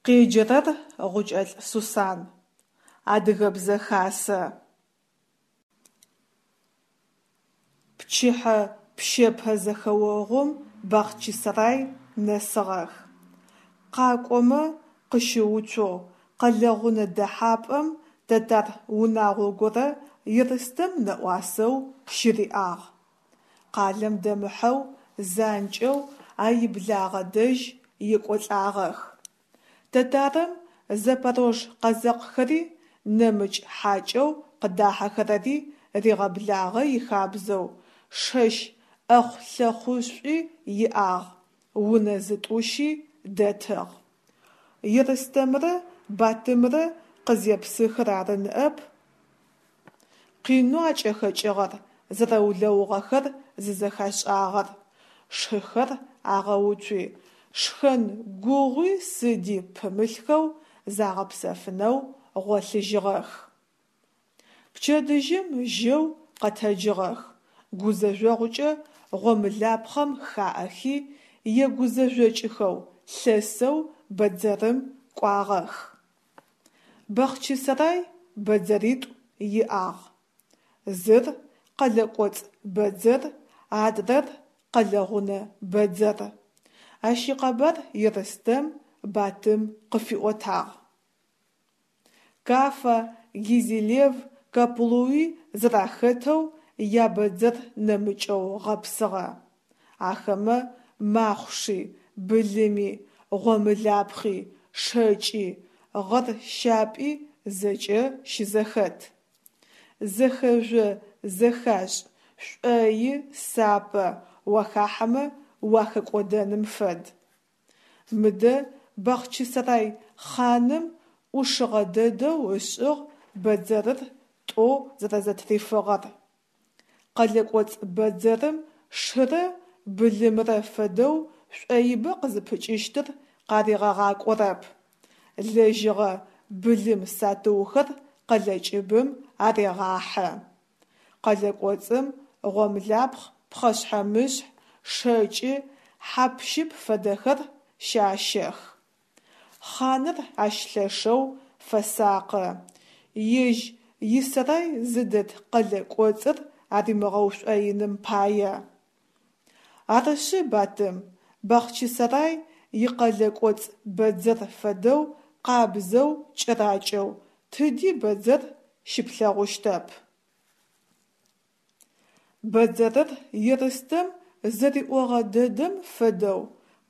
Къеджэрэр Гъукӏэлӏ Сусан. Адыгэбзэ хасэ. Пчыхьэ пщэпэ зэхэогъум Бахъчысэрай нэсыгъэх. Къакӏомэ къыщыуцоу къэлэ гъунэ дэхьапӏэм тэтар унагъо горэ Ерстэм нэӏуасэу щыриӏагъ. Къалэм дэмыхьэу занкӏэу а иблагъэ дэжь екӏолӏагъэх. Тэтарым запорож къэзэкъхэри, нэмыкӏ хьакӏэу къыдахьэхэрэри ригъэблагъэ ихабзэу шэщ ӏэхъу-лъэхъушӏуи иӏагъ, унэ зытӏущи дэтыгъ. Ерстэмрэ Батымрэ къызепсыхыр ары ныӏэп къинэу акӏэхэкӏыгъэр, зэрэулэугъэхэр зызэхашӏагъэр. Шыхэр агъэуцуи, шхэн гугъуи сыди пымылъхэу загъэпсэфынэу гъолъыжьыгъэх. Пчэдыжьым жьэу къэтэджыгъэх, гузэжъогъукӏэ гъомылапхъэм хаӏэхи, егузэжъокӏыхэу лъэсэу бэдзэрым кӏуагъэх. Бахъчысэрай бэдзэритӏу иӏагъ. Зыр къэлэ кӏоцӏ бэдзэр, адрэр къэлэ гъунэ бэдзэр. Ащ икъэбар Ерстэм Батым къыфиӏотагъ. Кафа, Гезилев, Каплуи зэрахэтэу ябэдзэр нэмыкӏэу гъэпсыгъэ. Ахэмэ махъуши, былыми, гъомылапхъи, шэкӏи, гъэр щапӏи зэкӏэ щызэхэт. Зэхэжъо-зэхашӏ, шӏои сапэ, уахахьэмэ уахэкӏодэным фэд. Мыдэ Бахъчысэрай хъаным ӏушыгъэ дэдэу ышӏыгъ бэдзэрыр тӏо зэрэзэтрифыгъэр. Къэлэ кӏоцӏ бэдзэрым шырэ былымрэ фэдэу шӏоибэ къызыпыкӏыщтыр къаригъэгъакӏорэп. Лэжьыгъэ, былым сатыухэр къэлэ кӏыбым арегъахьэ. Къэлэ кӏоцӏым гъомлапхъ, пхъэшъхьэ-мышъхь, шэкӏы, хьап-щып фэдэхэр щащэх. Хъаныр ащ лъэшэу фэсакъы, ежь исэрай зыдэт къэлэ кӏоцӏыр аримыгъэушӏоиным пае. Арышъы, Батым, Бахъчысэрай икъэлэ кӏоцӏ бэдзэр фэдэу къабзэу, кӏэракӏэу тыди бэдзэр щыплъэгъущтэп. Бэдзэрыр Ерстэм зэриӏогъэ дэдэм фэдэу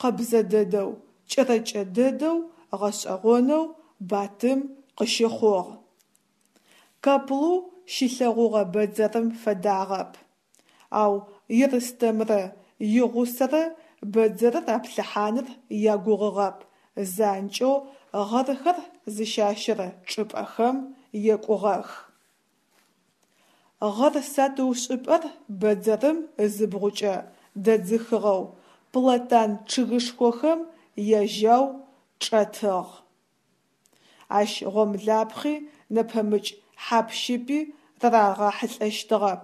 къэбзэ дэдэу, кӏэрэкӏэ дэдэу гъэшӏэгъонэу Батым къыщыхъугъ. Каплу щилъэгъугъэ бэдзэрым фэдагъэп. Ау Ерстэмрэ игъусэрэ бэдзэрыр аплъыхьаныр ягугъугъэп, занкӏэу гъэрхэр зыщащэрэ чӏыпӏэхэм екӏугъэх. Гъэр сатыушӏыпӏэр бэдзэрым ызыбгъукӏэ дэдзыхыгъэу платан чъыгышхохэм яжьау чӏэтыгъ. Ащ гъомлапхъи нэпэмыкӏ хьап-щыпи рарагъахьылӏэщтыгъэп,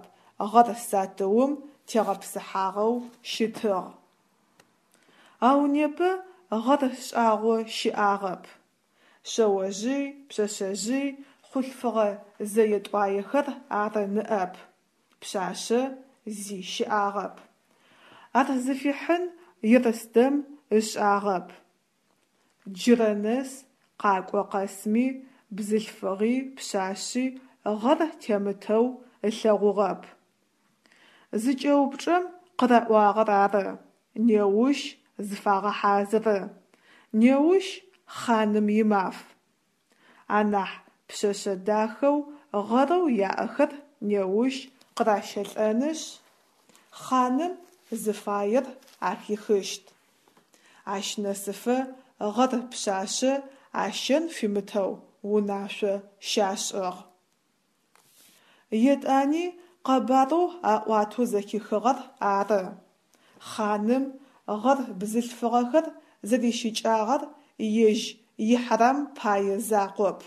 гъэр сатыум тегъэпсыхьагъэу щытыгъ. Ау непэ гъэр шӏагъо щыӏагъэп. Шъэожъый, пшъэшъэжъый, хъулъфыгъэ зэе-тӏуаехэр ары ныӏэп. Пшъашъэ зи щыӏагъэп. Ар зыфихьын Ерстэм ышӏагъэп. Джырэ нэс къакӏо къэсми бзылъфыгъи пшъашъи гъэр темытэу ылъэгъугъэп. Зыкӏэупчӏэм къыраӏуагъэр ары: неущ зыфагъэхьазыры, неущ хъаным имаф. Анахь пшъэшъэ дахэу гъэрэу яӏэхэр неущ къыращэлӏэнышъ, хъаным зыфаер ахихыщт. Ащ нэсыфэ гъэр пшъашъэ ащэн фимытэу унашъо щашӏыгъ. Етӏани къэбарэу аӏуатэу зэхихыгъэр ары: хъаным гъэр бзылъфыгъэхэр зэрищыкӏагъэр ежь ихьэрам пае закъоп.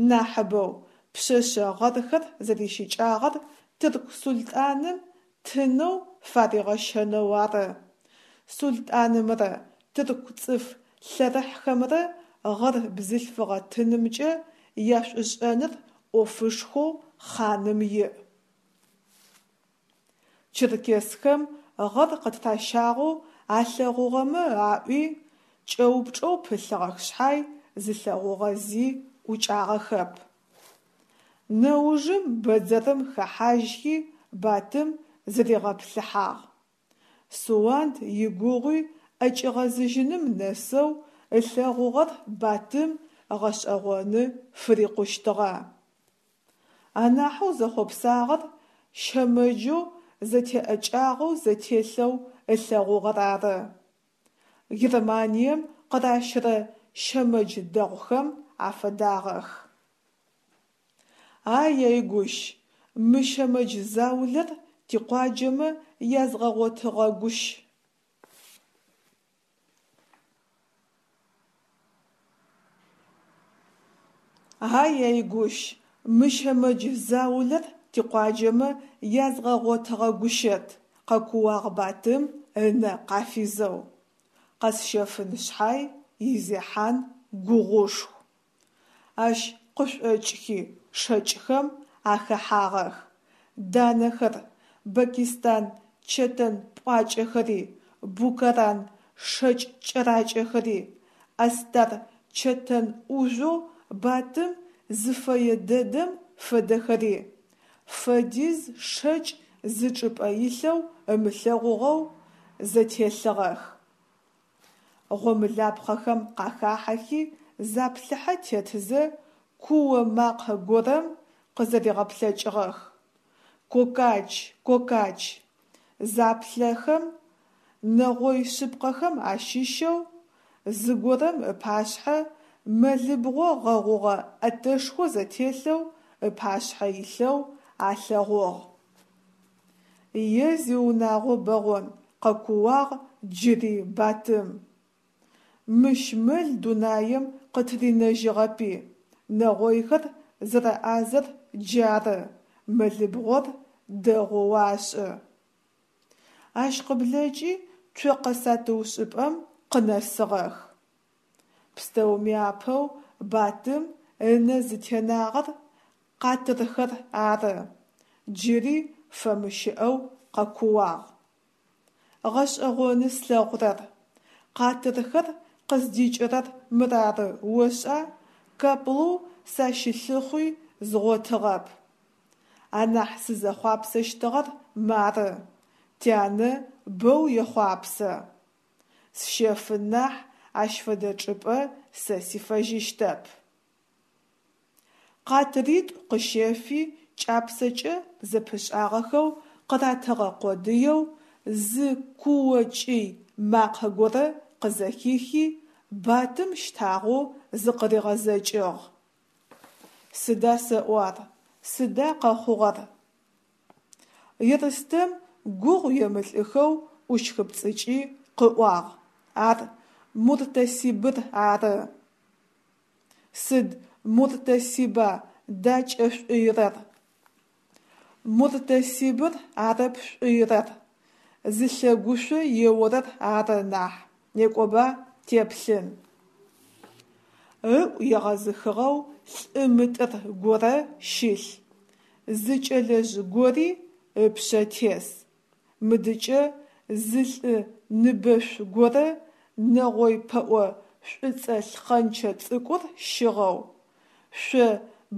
Нахьыбэу пшъэшъэ гъэрхэр зэрищыкӏагъэр тырку султӏаным тынэу фаригъэщэнэу ары. Султӏанымрэ тырку цӏыф лъэрыхьхэмрэ гъэр бзылъфыгъэ тынымкӏэ яшӏушӏэныр ӏофышхоу хъаным иӏ. Черкесхэм гъэр къытыращагъэу алъэгъугъэмэ аӏуи, кӏэупчӏэу пылъыгъэх шъхьай, зылъэгъугъэ зи ӏукӏагъэхэп. Нэужым бэдзэрым хэхьажьхи Батым зыригъэплъыхьагъ. Суанд игугъуи ӏэкӏигъэзыжьыным нэсэу ылъэгъугъэр Батым гъэшӏэгъоны фырикъущтыгъэ. Анахьэу зэхъопсагъэр щэмэджэу зэтеӏэкӏагъэу зэтелъэу ылъэгъугъэр ары. Германием къыращырэ щэмэдж дэгъухэм афэдагъэх. Ай-яй гущ, мы щэмэдж заулэр тикъуаджэмэ язгъэгъотыгъэгущ. Ай-яй гущ, мы щэмэдж заулэр тикъуаджэмэ язгъэгъотыгъэгущэт, къэкууагъ Батым ынэ къафизэу. Къэсщэфын шъхьай изехьан гугъушху. Ащ къышӏокӏхи шэкӏхэм ахэхьагъэх, данэхэр, бакистан чэтэн пӏуакӏэхэри, букаран шэкӏ кӏэракӏэхэри, астар чэтэн ӏужъоу Батым зыфэе дэдэм фэдэхэри, фэдиз шэкӏ зы чӏыпӏэ илъэу ымылъэгъугъэу зэтелъыгъэх. Гъомылапхъэхэм къахахьэхи заплъыхьэ тетзэ, куо макъэ горэм къызэригъэплъэкӏыгъэх: «Кокач! Кокач!» Заплъэхэм, нэгъой шъыпкъэхэм ащыщэу зыгорэм ыпашъхьэ мэлыбгъо гъэгъугъэ ӏэтэшхо зэтелъэу ыпашъхьэ илъэу алъэгъугъ. Е зиунагъо бэгъон, къэкууагъ джыри Батым. Мыщ мэл дунаем къытыринэжьыгъэпи, нэгъойхэр зэрэӏазэр джары, мэлыбгъор дэгъоу ашӏы. Ащ къыблэкӏи цокъэ сатыушӏыпӏэм къынэсыгъэх. Пстэуми апэу Батым ынэ зытенагъэр къатырхэр ары, джыри фэмыщыӏэу къэкууагъ. Гъэшӏэгъоны слъэгъурэр, къатырхэр къыздикӏырэр мырары ошӏа, Каплу сащылъыхъуи згъотыгъэп. Анахь сызэхъуапсэщтыгъэр мары, тянэ бэу ехъуапсэ. Сщэфын нахь, ащ фэдэ чӏыпӏэ сэ сифэжьыщтэп. Къатыритӏу къыщэфи кӏапсэкӏэ зэпышӏагъэхэу къыратыгъэ къодыеу, зы куо-кӏый макъэ горэ къызэхихи, Батым щтагъэу зыкъыригъэзэкӏыгъ. Сыда сэӏо ар, сыда къэхъугъэр? Ерстэм гугъу емылӏыхэу ӏущхыпцӏыкӏи къыӏуагъ: Ар муртасибыр ары. Сыд муртасиба дакӏэшӏуирэр? Муртасибыр арэп шӏуирэр, зылъэгушъо еорэр ары нахь, некӏоба теплъын. Ыӏу егъэзыхыгъэу лӏы мытӏыр горэ щылъ, зы кӏэлэжъ гори ыпшъэ тес. Мыдыкӏэ зы лӏы ныбэшъу горэ нэгъой пэӏо шӏуцӏэ лъхъэнчэ цӏыкӏур щыгъэу, шъо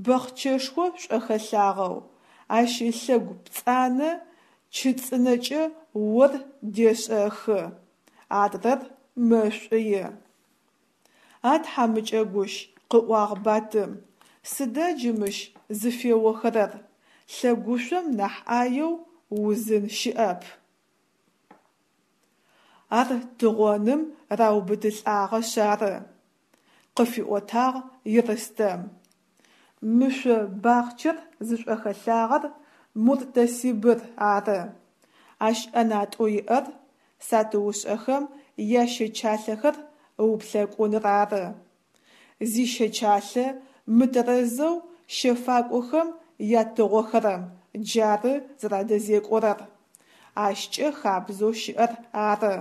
бэхъчэшхо шӏохэлъагъэу, ащ ылъэгу пцӏанэ чы цӏынэкӏэ ор дешӏэхы, адрэр мэшӏуи. А тхьамыкӏэ гущ, къыӏуагъ Батым, сыда джы мыщ зыфеохэрэр, лъэгушъом нахь ӏаеу узын щыӏэп. Ар тыгъоным раубытылӏагъэшъ ары, къыфиӏотагъ Ерстэм. Мы шъо бахъчэр зышӏохэлъагъэр муртасибыр ары. Ащ ӏэнатӏэу иӏэр сатыушӏэхэм ящэчалъэхэр ыуплъэкӏуныр ары. Зищэчалъэ мытэрэзэу щэфакӏохэм ятыгъохэрэм джары зэрадэзекӏорэр. Ащкӏэ хабзэу щыӏэр ары.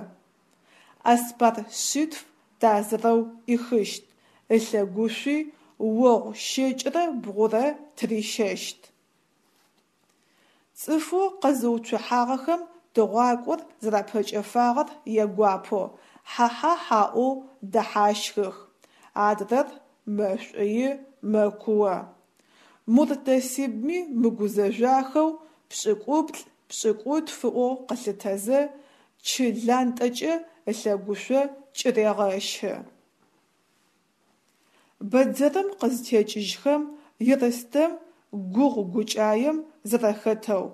Аспар шъитф тазырэу ӏихыщт, ылъэгушъуи огъу щэкӏырэ бгъурэ тырищэщт. Цӏыфэу къэзыуцухьагъэхэм тыгъуакӏор зэрапэкӏэфагъэр ягуапэу хьа-хьа-хь аӏоу дэхьащхых, адрэр мэшӏуи мэкуо. Муртасибми мыгузэжъуахэу пшӏыкӏуплӏ, пшӏыкӏутф ыӏоу къылъытэзэ, чы лантӏэкӏэ ылъэгушъо кӏырегъэщы. Бэдзэрым къызтекӏыжьхэм, Ерстэм гугъу гукӏаем зэрэхэтэу,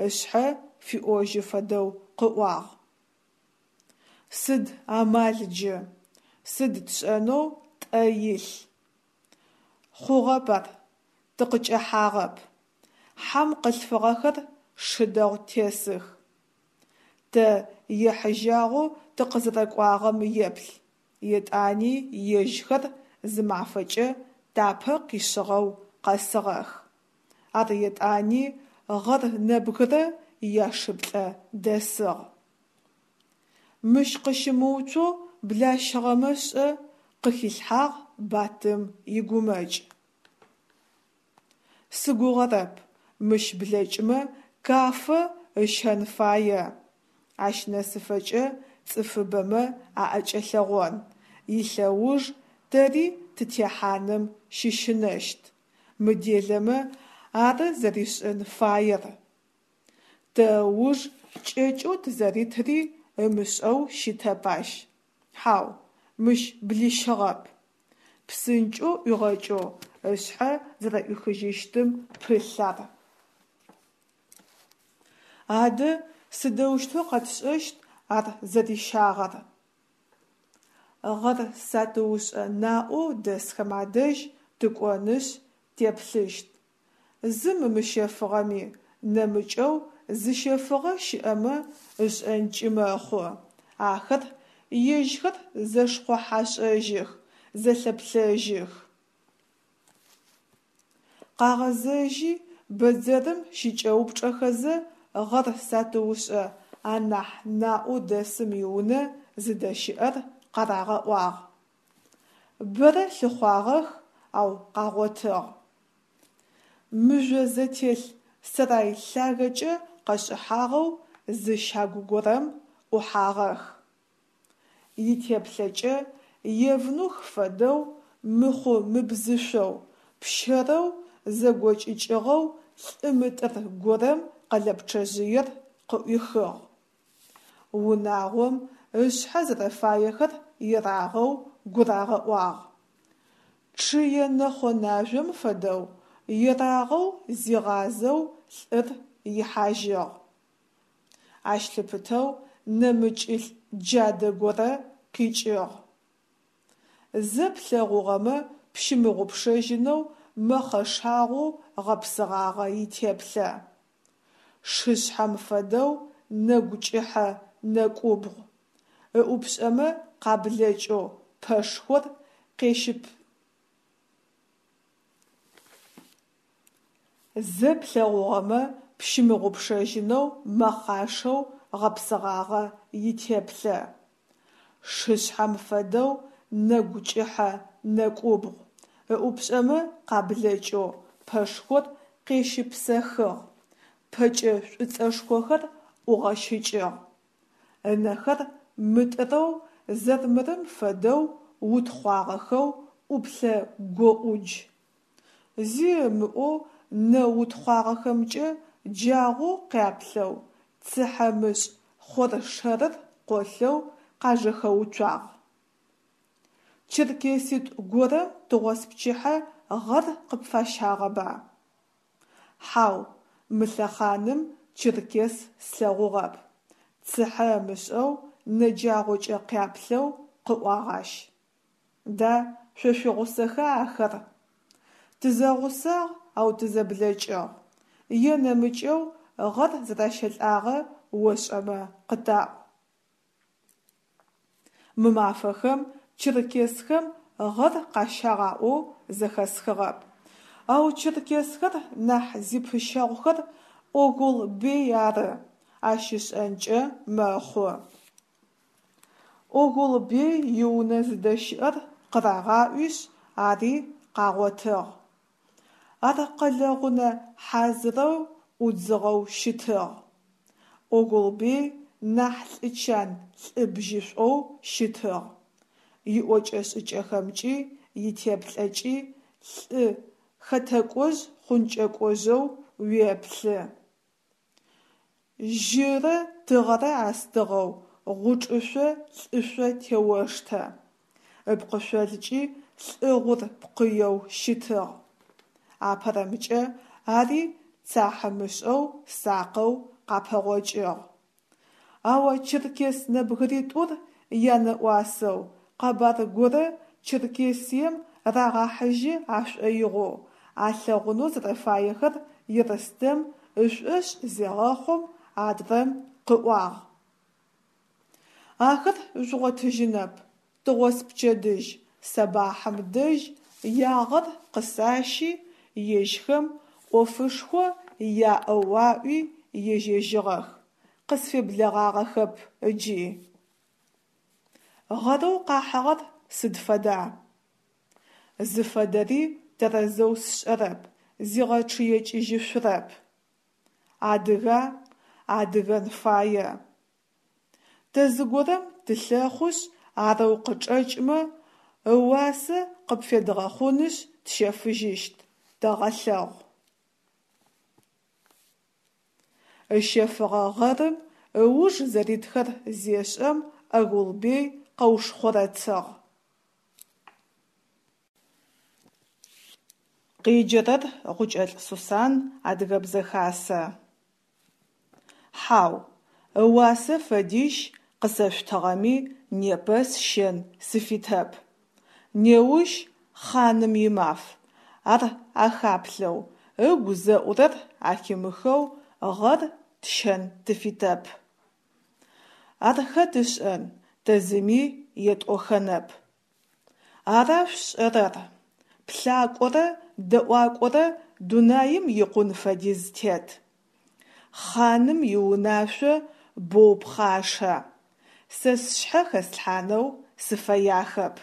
ышъхьэ фиӏожьы фэдэу къыӏуагъ: Сыд амал джы? Сыд тшӏэнэу тӏэ илъ? Хъугъэп ар, тыкъыкӏэхьагъэп. Хьам къылъфыгъэхэр шы дэгъу тесых. Тэ ехьыжьагъэу тыкъызэрэкӏуагъэм еплъ, етӏани ежьхэр зы мафэкӏэ тапэ къишъыгъэу къэсыгъэх. Ар етӏани гъэр нэбгырэ яшыплӏэ дэсыгъ. Мыщ къыщымыуцоу блащыгъэмэ шӏэ? – къыхилъхьагъ Батым игумэкӏ. Сыгугъэрэп, мыщ блэкӏмэ Каффэ ыщэн фае. Ащ нэсыфэкӏэ цӏыфыбэмэ аӏэкӏэлъэгъон, илъэуж тэри тытехьаным щыщынэщт. Мыделэмэ, ары зэришӏын фаер. Тэ ыуж кӏэкӏэу тызэритыри ымышӏэу щытэп ащ. Хьау, мыщ блищыгъэп. Псынкӏэу ӏуигъэкӏэу ышъхьэ зэрэӏуихыжьыщтым пылъ ар. Адэ сыдэущтэу къэтшӏэщт ар зэрищагъэр? Гъэр сатыушӏэ наӏоу дэсхэм адэжь тыкӏонышъ теплъыщт. Зым ымыщэфыгъэми, нэмыкӏэу зыщэфыгъэ щыӏэмэ ышӏэнкӏи мэхъу. Ахэр ежьхэр зэшхъохьашӏэжьых, зэлъэплъэжьых. Къагъэзэжьи, бэдзэрым щыкӏэупчӏэхэзэ гъэр сатыушӏэ анахь наӏоу дэсым иунэ зыдэщыӏэр къарагъэӏуагъ. Бэрэ лъыхъуагъэх, ау къагъотыгъ. Мыжъо зэтелъ сэрай лъагэкӏэ къэшӏыхьагъэу зы щагу горэм ӏухьагъэх. Итеплъэкӏэ евнух фэдэу мыхъу-мыбзышъоу, пщэрэу зэгокӏыкӏыгъэу лӏы мытӏыр горэм къэлэпчъэжъыер къыӏуихыгъ. Унагъом ышъхьэ зэрэфаехэр ерагъэу гурагъэӏуагъ. Чъые нэхъо-нажъом фэдэу, ерагъэу зигъазэу лӏыр ихьажьыгъ. Ащ лъыпытэу нэмыкӏылӏ джадэ горэ къикӏыгъ. Зэ плъэгъугъэмэ пщымыгъупшэжьынэу мэхъэшагъоу гъэпсыгъагъэ итеплъэ. Шышъхьэм фэдэу нэгу кӏыхьэ нэкӏубгъу, ыӏупшӏэмэ къаблэкӏэу пэшхор къещып. Зэ плъэгъугъэмэ пщымыгъупшэжьынэу мэхъашэу гъэпсыгъагъэ итеплъэ. Шышъхьэм фэдэу нэгу кӏыхьэ нэкӏубгъу, ыӏупшӏэмэ къаблэкӏэу пэшхор къещыпсэхыгъ, пэкӏэ шӏуцӏэшхохэр ӏугъэщыкӏыгъ. Ынэхэр мытӏырэу зэрмырым фэдэу утхъуагъэхэу ӏуплъэ гоӏудж. Зи ымыӏоу нэ утхъуагъэхэмкӏэ джагъоу къяплъэу, цыхьэмышӏ хъоршэрыр къолъэу къажэхэуцуагъ. Черкеситӏу горэм тыгъоспчыхьэ гъэр къыпфащагъэба? Хьау, мы лъэхъаным черкес слъэгъугъэп, цыхьэ ымышӏэу нэджагъокӏэ къяплъэу къыӏуагъ ащ. Да, шъо шъуигъусэха ахэр? Тызэгъусагъ, ау тызэблэкӏыгъ. Е нэмыкӏэу гъэр зэращэлӏагъэ ошӏэмэ къытаӏу. Мы мафэхэм черкесхэм гъэр къащагъ аӏоу зэхэсхыгъэп. Ау черкесхэр нахь зипыщэгъухэр Огол-бей ары, ащ ышӏэнкӏэ мэхъу. Огул-бей иунэ зыдэщыӏэр къырагъаӏуишъ, ари къагъотыгъ. Ар къэлэ гъунэ хьазырэу ӏудзыгъэу щытыгъ. Огул-бей нахь лӏы чан лӏы бжьышӏоу щытыгъ, иӏокӏэ-шӏыкӏэхэмкӏи итеплъэкӏи лӏы хэтэкӏожъ-хъункӏэкӏожъэу уеплъы. Жьырэ тыгъэрэ астыгъэу гъучӏышъо лӏышъо теоштэ, ыпкъышъолкӏи лӏы гъур пкъыеу щытыгъ. Апэрэмкӏэ ари цахьымышӏэу сакъэу къапэгъокӏыгъ. Ау а черкес нэбгыритӏур янэӏуасэу, къэбар горэ Черкесием рагъахьыжьы ашӏоигъоу, алъэгъунэу зэрэфаехэр Ерстэм ышӏошъ зегъэхъум, адрэм къыӏуагъ: Ахэр жъугъотыжьынэп, тыгъоспчэдыжь, сэбахьым дэжь ягъэр къысащи, ежьхэм ӏофышхо яӏэу аӏуи ежьэжьыгъэх, къысфеблэгъагъэхэп ыджи. Гъэрэу къахьыгъэр сыд фэда? Зыфэдэри тэрэзэу сшӏэрэп, зигъэчъыекӏыжьышъурэп. Адыга? Адыгэн фае. Тэ зыгорэм тылъэхъушъ, арэу къычӏэкӏмэ, ыуасэ къыпфедгъэхъунышъ тщэфыжьыщт, тэгъэлъэгъу. Ыщэфыгъэ гъэрым ыуж зэритхэр зешӏэм Огул-бей къэушхъорэцыгъ. Къеджэрэр Гъукӏэлӏ Сусан, Адыгэбзэ Хасэ. Хьау, ыуасэ фэдищ къысэшъутыгъэми непэ сщэн сыфитэп. Неущ хъаным имаф, ар ахаплъэу, ыгу зэӏурэр ахимыхэу гъэр тщэн тыфитэп. Ар хэт ышӏэн, тэ зыми етӏохэнэп. Ара шъушӏэрэр? Плъакӏорэ дэӏуакӏорэ дунаим икъун фэдиз тет. Хъаным иунашъо боу пхъашэ, сэ сшъхьэ хэслъхьанэу сыфэяхэп.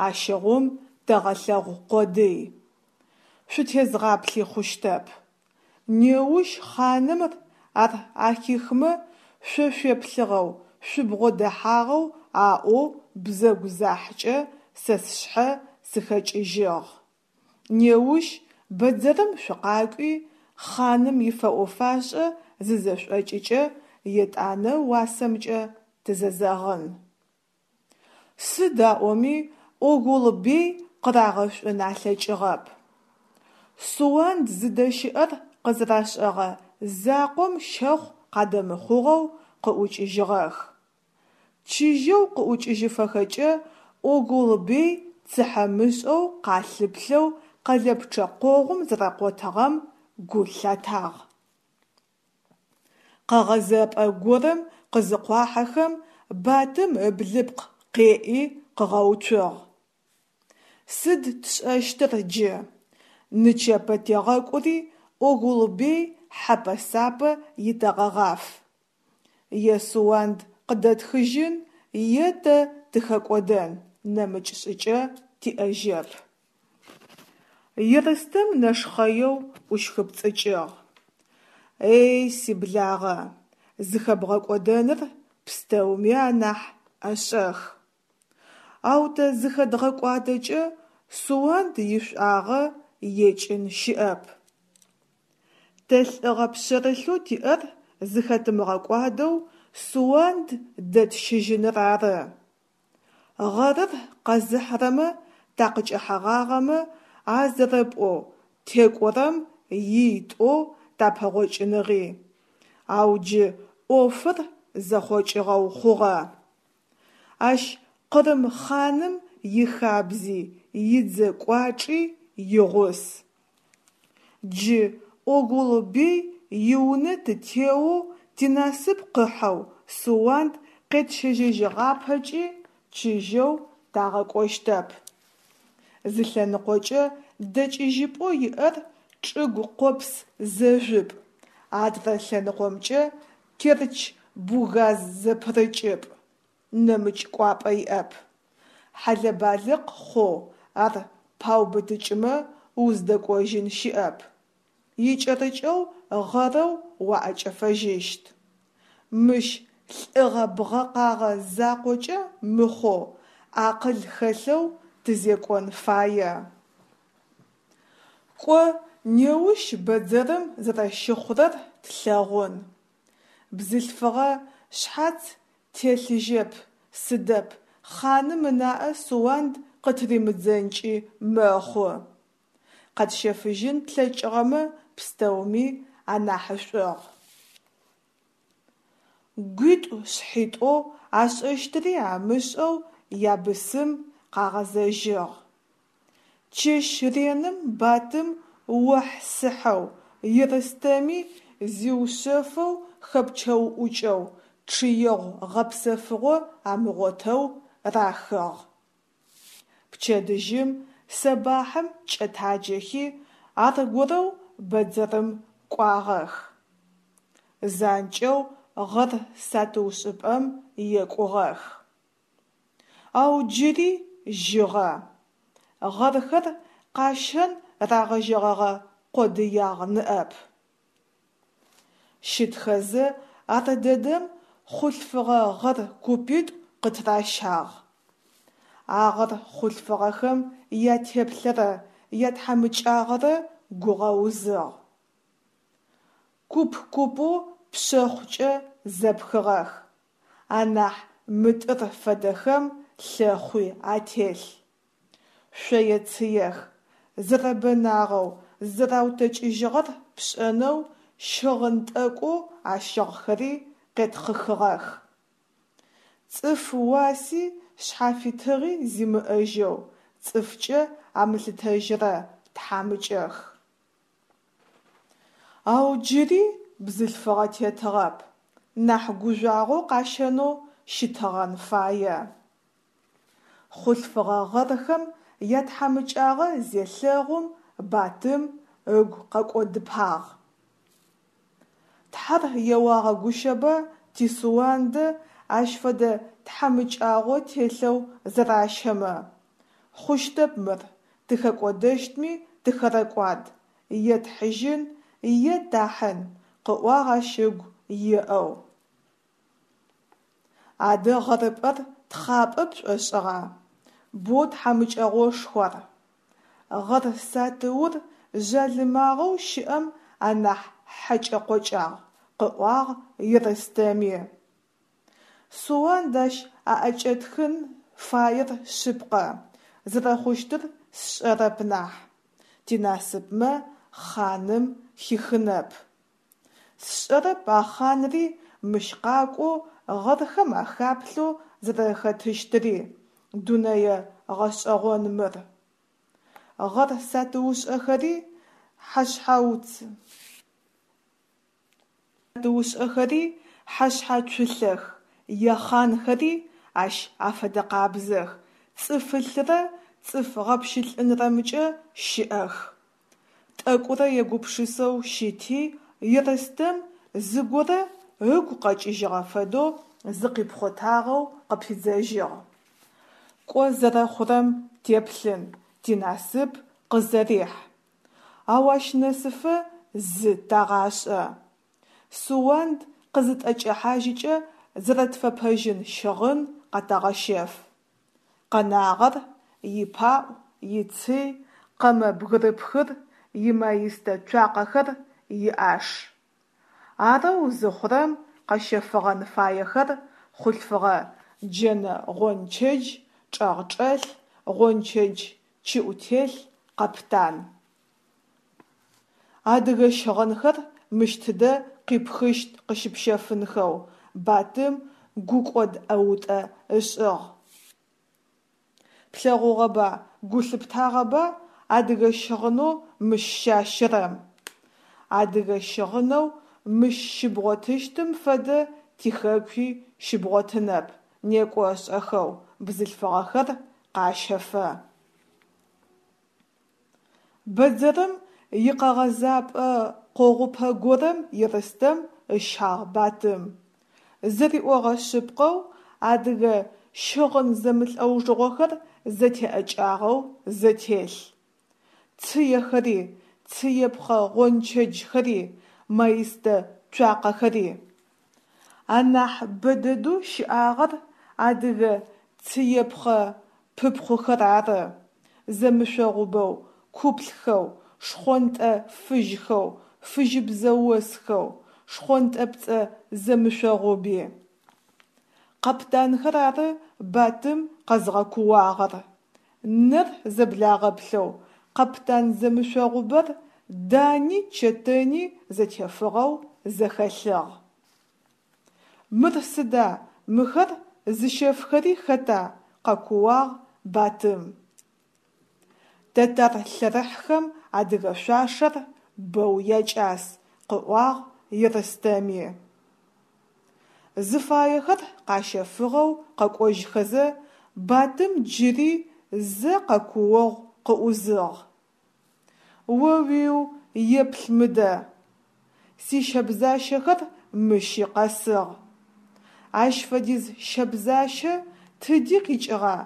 Ащыгъум тэгъэлъэгъу къодый. Шъутезгъаплъи хъущтэп. Неущ хъанымр ар ахихмэ шъо шъуеплъыгъэу, шъубгъодэхьагъэу аӏоу бзэгу захькӏэ сэ сшъхьэ сыхэкӏыжьыгъ. Неущ бэдзэрым шъукъакӏуи, хъаным ифэӏо-фашӏэ зызэшӏокӏыкӏэ, етӏанэ уасэмкӏэ тызэзэгъын. Сыд аӏоми Огул-бей къырагъэшӏун алъэкӏыгъэп. Суанд зыдэщыӏэр къызэрашӏэгъэ закъом щэхъу къадэмыхъугъэу къыӏукӏыжьыгъэх. Чыжьэу къыӏукӏыжьыфэхэкӏэ Огул-бей цыхьэмышӏэу къалъыплъэу къэлэпчъэ къогъум зэрэкъотыгъэм гу лъатагъ. Къэгъэзэпӏэ горэм къызыкъуахьэхэм, Батым ыблыпкъ къеӏи къыгъэуцугъ. Сыд тшӏэщтыр джы? Нычэпэ тегъэкӏури Огул-бей хьэпэ-сапэ итэгъэгъаф. Е Суанд къыдэтхыжьын, е тэ тыхэкӏодэн, нэмыкӏ шӏыкӏэ тиӏэжьэп. Ерстэм нэшхъэеу ӏущхыпцӏыкӏыгъ. Эй, сиблагъэ, зыхэбгъэкӏодэныр пстэуми анахь ӏэшӏэх. Ау тэ зыхэдгъэкӏуадэкӏэ Суанд ишӏуагъэ екӏын щыӏэп. Тэ лӏыгъэ пшъэрылъэу тиӏэр зыхэтымыгъэкӏуадэу Суанд дэтщыжьыныр ары. Гъэрыр къэзыхьрэмэ такъыкӏэхьэгъагъэмэ, а зэрэпӏоу, текӏорэм ий тӏоу тапэгъокӏыныгъи. Ау джы ӏофыр зэхъокӏыгъэу хъугъэ. Ащ Къырым хъаным ихабзи, идзэ кӏуачӏи игъус. Джы Огул-бей иунэ тытеоу тинасып къыхьэу Суанд къетщэжьэжьыгъапэкӏи чыжьэу тагъэкӏощтэп. Зы лъэныкъокӏэ дэкӏыжьыпӏэу иӏэр чӏыгу къопс зэжъупӏ, адрэ лъэныкъомкӏэ Керчь-Бугаз зэпырыкӏыпӏ. нэмыкӏ кӏуапӏэ иӏэп. Хьэлэ-балыкъ хъоу ар паубытыкӏымэ уздэкӏожьын щыӏэп. Икӏэрыкӏэу гъэрэу уаӏэкӏэфэжьыщт. Мыщ лӏыгъэ-бгъэкъагъэ закъокӏэ мыхъоу акъыл хэлъэу тызекӏон фае. Кӏо, неущ бэдзэрым зэрэщыхъурэр тлъэгъун. Бзылъфыгъэ шъхьац телъыжьэп сыдэп хъаным ынаӏэ Суанд къытыримыдзэнкӏи мэхъу. Къэтщэфыжьын тлъэкӏыгъэмэ пстэуми анахьышӏугъ. Гуитӏу-шъхьитӏоу, ашӏэщтыри амышӏэу ябысым къагъэзэжьыгъ. Чэщ реным Батым охь-сыхьэу, Ерстэми зиушъэфэу хэпчэуӏукӏэу, чъыегъу-гъэпсэфыгъо амыгъотэу рахыгъ. Пчэдыжьым сэбахьым кӏэтаджэхи, аргорэу бэдзэрым кӏуагъэх. Занкӏэу гъэр сатыушӏыпӏэм екӏугъэх. Ау джыри жьыгъэ. Гъэрхэр къащэн рагъэжьэгъэгъэ къодыягъ ныӏэп. Щытхэзэ ардэдэм хъулъфыгъэ гъэр купитӏу къытыращагъ. А гъэр хъулъфыгъэхэм ятеплъэрэ ятхьамыкӏагъэрэ гугъэузыгъ. Куп-купэу пшъэхъукӏэ зэпхыгъэх, анахь мытӏыр фэдэхэм лъэхъуи ателъ. Шъое-цыех, зэрэбэнагъэу, зызэраутэкӏыжьыгъэр пшӏэнэу щыгъын тӏэкӏоу ащыгъхэри къетхъыхыгъэх. Цӏыф уаси шъхьафитыгъи зимыӏэжьэу, цӏыфкӏэ амылъытэжьырэ тхьамыкӏэх. Ау джыри бзылъфыгъэ тетыгъэп, нахь гужъуагъэу къащэнэу щытыгъэн фае. Хъулъфыгъэ гъэрхэм ятхьамыкӏагъэ зелъэгъум Батым ыгу къэкӏодыпагъ. Тхьэр еуагъэгущэба ти Суандэ ащ фэдэ тхьамыкӏагъо телъэу зэращэмэ. Хъущтэп мыр, тыхэкӏодэщтми тыхэрэкӏуад, е тхьыжьын, е тахьын, къыӏуагъ ащ ыгу еӏэу. Адэ гъэрыпӏэр тхъапӏэ пшӏошӏыгъа? Боу тхьамыкӏэгъошху ар. Гъэр сатыур жъалымагъэу щыӏэм анахь хьэкӏэ-къокӏагъ, къыӏуагъ Ерстэми. Суанд ащ аӏэкӏэтхын фаер шъыпкъэ, зэрэхъущтыр сшӏэрэп нахь. Тинасыпмэ хъаным хихынэп. Сшӏэрэп а хъанри мыщ къакӏоу гъэрхэм ахаплъэу зэрэхэтыщтыри, дунэе гъэшӏэгъон мыр. Гъэр сатыушӏэхэри хьэшъхьацулъэх, яхъанхэри ащ афэдэкъабзэх, цӏыфылърэ цӏыф гъэпщылӏынрэмкӏэ щыӏэх. Тӏэкӏурэ егупшысэу щыти, Ерстэм зыгорэ ыгу къэкӏыжьыгъэ фэдэу зыкъипхъотагъэу къыпидзэжьыгъ. Кӏо зэрэхъурэм теплъын, тинасып къызэрехь. Ау ащ нэсыфэ зы тагъашӏэ. Суанд къызытӏэкӏэхьажьыкӏэ зэрэтфэпэжьын щыгъын къэтэгъэщэф. Къэнагъэр ипаӏу, ицый, къэмэ-бгырыпхыр, имаистэ цуакъэхэр, иӏаш. Арэу зыхъурэм къэщэфыгъэн фаехэр хъулъфыгъэ джэнэ-гъончэдж, чӏэгъчӏэлъ, гъончэдж чыӏутелъ, къэптан. Адыгэ щыгъынхэр мыщ тыдэ къипхыщт къыщыпщэфынхэу Батым гукӏод ӏэутӏэ ышӏыгъ. Плъэгъугъэба, гу лъыптагъэба адыгэ щыгъынэу мыщ щащэрэм? Адыгэ щыгъынэу мыщ щыбгъотыщтым фэдэ тихэкуи щыбгъотынэп, некӏо шӏэхэу, бзылъфыгъэхэр къащэфэ. Бэдзэрым икъэгъэзапӏэ къогъупэ горэм Ерстэм ыщагъ Батым. Зэриӏогъэ шъыпкъэу, адыгэ щыгъын зэмылӏэужыгъохэр зэтеӏэкӏагъэу зэтелъ. Цыехэри, цыепхъэ гъончэджхэри, маистэ цуакъэхэри. Анахь бэдэдэу щыӏагъэр адыгэ цыепхъэ пыпхъухэр ары: зэмышъогъубэу, куплъхэу, шхъонтӏэ-фыжьхэу, фыжьыбзэ осхэу, шхъонтӏэпцӏэ зэмышъогъуби. Къэптанхэр ары Батым къэзгъэкууагъэр. Нэр зэблагъэплъэу къэптан зэмышъогъубэр дани чэтэни зэтефыгъэу зэхэлъыгъ. Мыр сыда, мыхэр зыщэфхэри хэта? – къэкууагъ Батым. Тэтар лъэрыхьхэм адыгэ шъуашэр бэу якӏас, – къыӏуагъ Ерстэми. Зыфаехэр къащэфыгъэу къэкӏожьхэзэ, Батым джыри зэ къэкуогъу къыӏузыгъ. О-уиу, еплъ мыдэ! Сищэбзащэхэр мыщи къэсыгъ. Ащ фэдиз щэбзащэ тыди къикӏыгъа,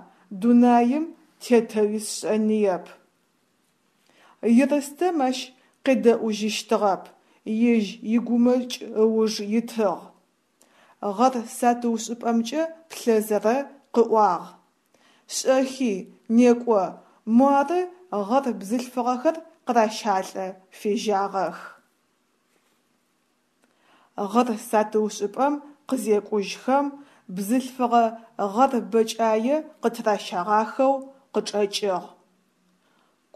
дунаим тетэуи сшӏэниеп. Ерстэм ащ къедэӏужьыщтыгъэп, ежь игумэкӏ ыуж итыгъ. Гъэр сатыушӏыпӏэмкӏэ плъэзэрэ къыӏуагъ: «Шӏэхи, некӏо, муары гъэр бзылъфыгъэхэр къыращалӏэ фежьагъэх». Гъэр сатыушӏыпӏэм къызекӏужьхэм, бзылъфыгъэ гъэр бэкӏае къытыращагъахэу къычӏэкӏыгъ.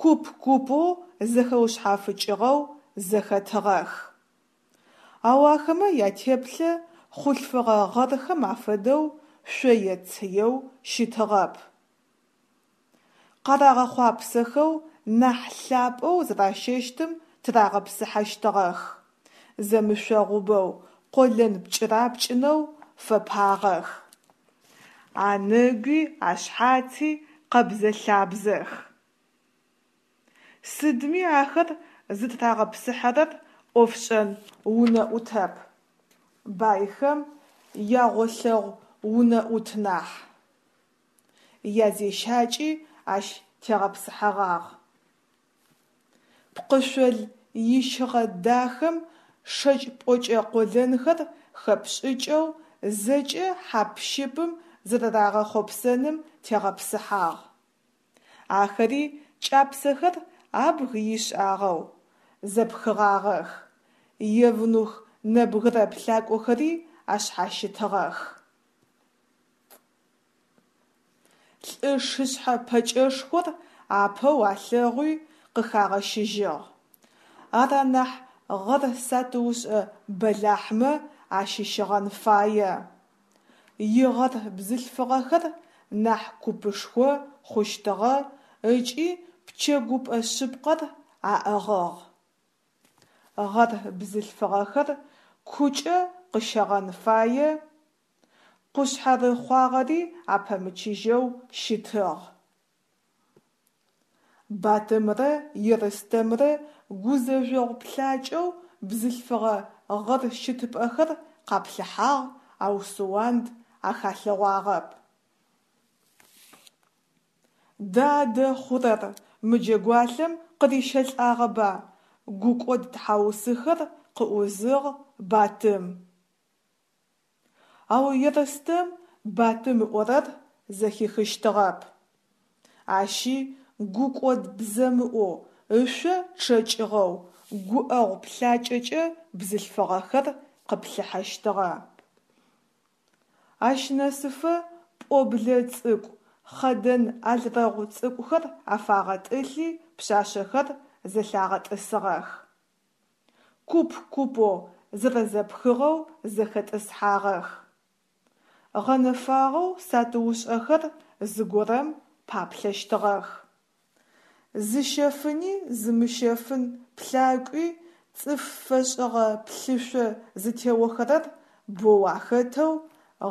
Куп-купэу зэхэушъхьафыкӏыгъэу зэхэтыгъэх. Ау ахэмэ ятеплъэ хъулъфыгъэ гъэрхэм афэдэу шъое-цыеу щытыгъэп. Къарагъэхъуапсэхэу нахь лъапӏэу зэращэщтым тырагъэпсыхьэщтыгъэх, зэмышъогъубэу, къолэн пкӏырапкӏынэу фэпагъэх. Анэгуи ашъхьаци къэбзэ-лъабзэх. Сыдми ахэр зытырагъэпсыхьэрэр ӏофшӏэн унэӏутэп, байхэм ягъолъэгъу унэӏут нахь. Язещакӏи ащ тегъэпсыхьэгъагъ. Пкъышъол ищыгъэ дахэм шэкӏ пӏокӏэ къолэнхэр хэпшӏыкӏэу зэкӏэ хьап-щыпым зэрэрагъэхъопсэным тегъэпсыхьагъ. Ахэри кӏапсэхэр абг ишӏагъэу зэпхыгъагъэх, евнух нэбгырэ плъакӏохэри ашъхьащытыгъэх. Лӏы шышъхьэ пэкӏэшхор апэу алъэгъуи къыхагъэщыжьыгъ. Ар анахь гъэр сатыушӏэ бэлахьмэ ащыщыгъэн фае. Игъэр бзылъфыгъэхэр нахь купышхо хъущтыгъэ ыкӏи пчэгупӏэ шъыпкъэр аӏыгъыгъ. Гъэр бзылъфыгъэхэр кукӏэ къыщэгъэн фае къушъхьэрыхъуагъэри апэмычыжьэу щытыгъ. Батымрэ Ерстэмрэ гузэжъогъу плъакӏэу бзылъфыгъэ гъэр щытыпӏэхэр къаплъыхьагъ, ау Суанд ахалъэгъуагъэп. Дадэ хъурэр, мы джэгуалъэм къырищэлӏагъэба, гукӏод тхьаусыхэр къыӏузыгъ Батым. Ау Ерстэм Батым ыӏорэр зэхихыщтыгъэп. Ащи гукӏод бзэмыӏоу, ышъо чъэкӏыгъэу, гуӏэгъу плъакӏэкӏэ бзылъфыгъэхэр къыплъыхьэщтыгъэ. Ащ нэсыфэ пӏоблэ цӏыкӏу, хъэдэн алрэгъу цӏыкӏухэр афагъэтӏылъи пшъашъэхэр зэлъагъэтӏысыгъэх. Куп-купэу зэрэзэпхыгъэу зэхэтӏысхьагъэх. Гъэнэфагъэу сатыушӏэхэр зыгорэм паплъэщтыгъэх. Зыщэфыни зымыщэфын плъакӏуи цӏыф фэшӏыгъэ плъышъо зытеохэрэр боу ахэтэу,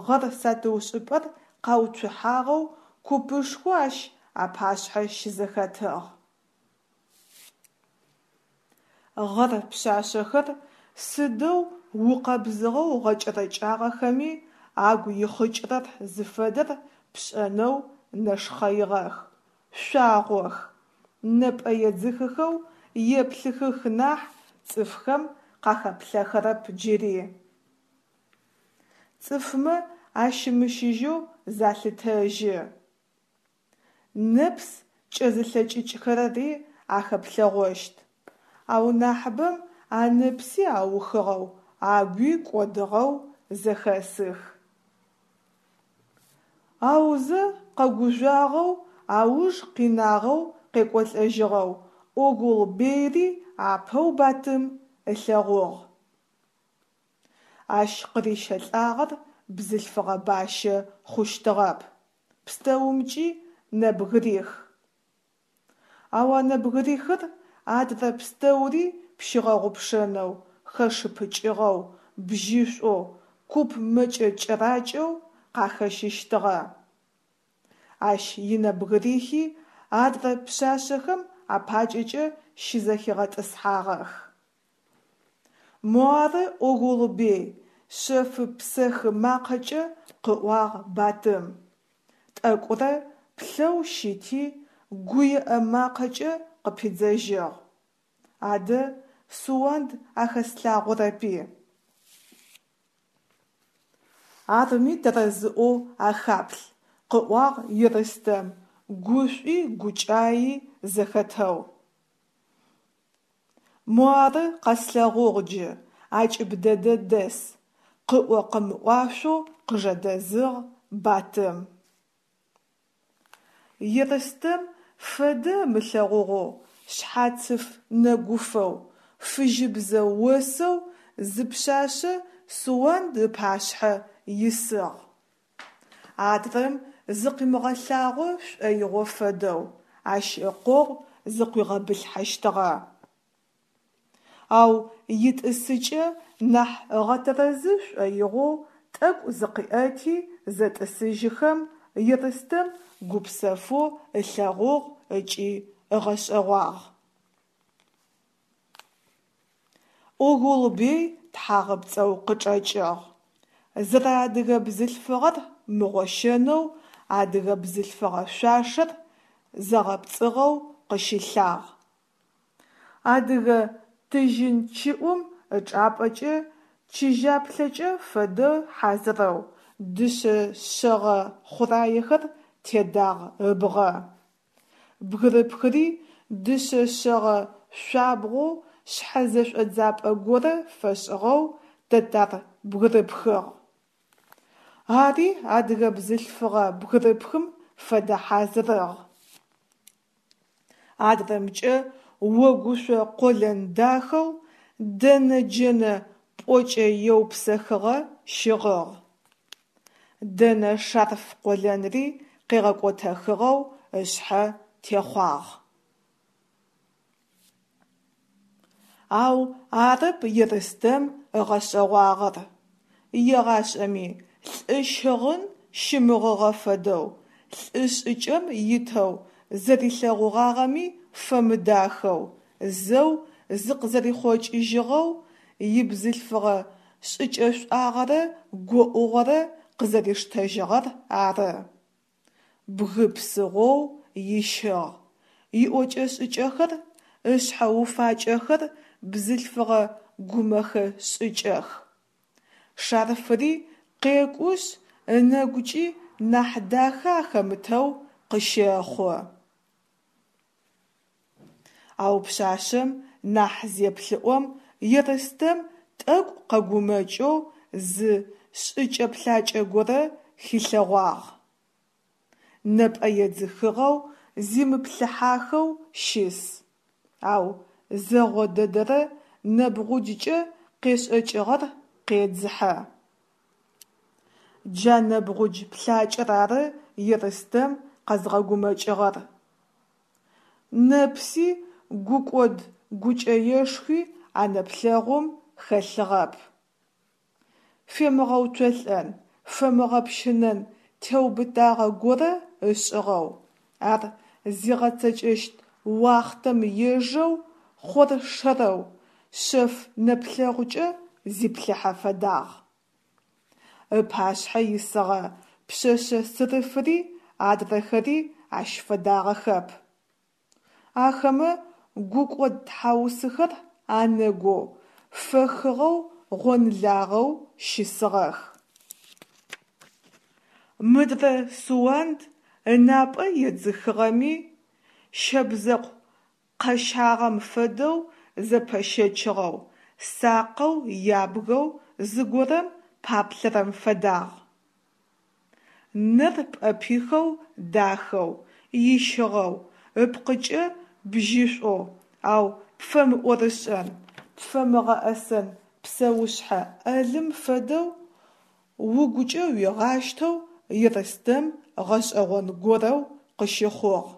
гъэр сатыушӏыпӏэр къауцухьагъэу купышхо ащ апашъхьэ щызэхэтыгъ. Гъэр пшъашъэхэр сыдэу укъэбзыгъэу гъэкӏэрэкӏагъэхэми, Агу ихъыкӏырэр зыфэдэр пшӏэнэу нэшхъэигъэх, шъуагъох, нэпӏэ едзыхыхэу еплъыхых нахь цӏыфхэм къахэплъэхэрэп джыри. Цӏыфмэ ащымыщыжьэу залъытэжьы. Нэпс кӏэзылъэкӏыкӏхэрэри ахэплъэгъощт, ау нахьыбэм анэпси аухыгъэу, агуи кӏодыгъэу зэхэсых. Аузэ къэгужъуагъэу, ауж къинагъэу къекӏолӏэжьыгъэу Огул-бейри апэу Батым ылъэгъугъ. Ащ къырищэлӏагъэр бзылъфыгъэ бащэ хъущтыгъэп, пстэумкӏи нэбгырих. Ау а нэбгырихыр адрэ пстэури пщигъэгъупшэнэу, хэшыпыкӏыгъэу, бжьышӏоу, куп мэкӏэ кӏэракӏэу къахэщыщтыгъэ. Ащ инэбгырихи адрэ пшъашъэхэм апакӏэкӏэ щызэхигъэтӏысхьагъэх. Муары, Огул-бей, шъэфы псэхы макъэкӏэ къыӏуагъ Батым. Тӏэкӏурэ плъэу щыти, гуеӏэ макъэкӏэ къыпидзэжьыгъ. Адэ Суанд ахэслъагъорэпи? Арми тэрэзыӏоу ахаплъ, къыӏуагъ Ерстэм, гушӏуи гукӏаий зэхэтэу. Муары, къэслъэгъугъ джы, акӏыб дэдэ дэс, къыӏо-къымыӏуашъоу къыжэдэзыгъ Батым. Ерстэм фэдэ ымылъэгъугъэу, шъхьацыф нэгуфэу, фыжьыбзэ осэу зы пшъашъэ Суанд ыпашъхьэ исыгъ. Адрэм зыкъимыгъэлъагъо шӏоигъо фэдэу, ащ ыкъогъу зыкъуигъэбылъхьэщтыгъэ. Ау итӏысыкӏэ нахь ыгъэтэрэзы шӏоигъоу тӏэкӏу зыкъиӏэти зэтӏысыжьыхэм, Ерстэм гупсэфэу ылъэгъугъ ыкӏи ыгъэшӏэгъуагъ. Огул-бей тхьагъэпцӏэу къычӏэкӏыгъ. Зэрэадыгэ бзылъфыгъэр мыгъощэнэу адыгэ бзылъфыгъэ шъуашэр зэгъэпцӏыгъэу къыщилъагъ. Адыгэ тыжьын чыӏум ычӏапӏэкӏэ чыжьаплъэкӏэ фэдэ хьазырэу дышъэ шъэгъэ хъураехэр тедагъ ыбгъэ. Бгырыпхыри дышъэ шъэгъэ шъуабгъоу шъхьэ зэшӏодзапӏэ горэ фэшӏыгъэу тэтар бгырыпхыгъ. Ари адыгэ бзылъфыгъэ бгырыпхым фэдэ хьазырыгъ. Адрэмкӏэ огушъо къолэн дахэу дэнэ джэнэ пӏокӏэ еупсэхыгъэ щыгъыгъ. Дэнэ шарф къолэнри къегъэкӏотэхыгъэу ышъхьэ техъуагъ. Ау арэп Ерстэм ыгъэшӏэгъуагъэр. Егъашӏэми лӏы щыгъын щымыгъыгъэ фэдэу, лӏы шӏыкӏэм итэу зэрилъэгъугъагъэми фэмыдахэу, зэу зыкъызэрихъокӏыжьыгъэу, ибзылъфыгъэ шӏыкӏэшӏуагъэрэ гоӏугъэрэ къызэриштэжьыгъэр ары. Бгы псыгъоу ищыгъ, иӏокӏэ-шӏыкӏэхэр, ышъхьэ уфакӏэхэр бзылъфыгъэ гумэхэ шӏыкӏэх. Шарфыри къекӏушъ, ынэгукӏи нахь дахэ ахэмытэу къыщэхъу. Ау пшъашъэм нахь зеплъыӏом, Ерстэм тӏэкӏу къэгумэкӏэу зы шӏыкӏэ-плъакӏэ горэ хилъэгъуагъ. Нэпӏэ едзыхыгъэу, зимыплъыхьахэу щыс, ау зэгъо дэдэрэ нэбгъуджкӏэ къешӏэкӏыгъэр къедзыхьэ. Джа нэбгъудж плъакӏэр ары Ерстэм къэзгъэгумэкӏыгъэр. Нэпси гукӏод гукӏэешхуи а нэплъэгъум хэлъыгъэп. Фемыгъэуцолӏэн, фэмыгъэпщынэн теубытагъэ горэ ышӏыгъэу, ар зигъэцэкӏэщт уахътэм ежэу, хъоршэрэу, шъэф нэплъэгъукӏэ зиплъыхьэ фэдагъ. Ыпашъхьэ исыгъэ пшъэшъэ сырыфыри адрэхэри ащ фэдагъэхэп. Ахэмэ гукӏод тхьаусыхэр анэгоу, фэхыгъэу гъонлагъэу щысыгъэх. Мыдрэ Суанд ынапӏэ едзыхыгъэми, щэбзэкъу къэщагъэм фэдэу зэпэщэчыгъэу, сакъэу ябгэу зыгорэм паплъэрэм фэдагъ. Нэр пӏэпихэу дахэу, ищыгъэу, ыпкъыкӏэ бжьышӏоу, ау пфэмыӏорышӏэн, пфэмыгъэӏэсэн псэушъхьэ ӏэлым фэдэу угукӏэ уигъащтэу Ерстэм гъэшӏэгъон горэу къыщыхъугъ.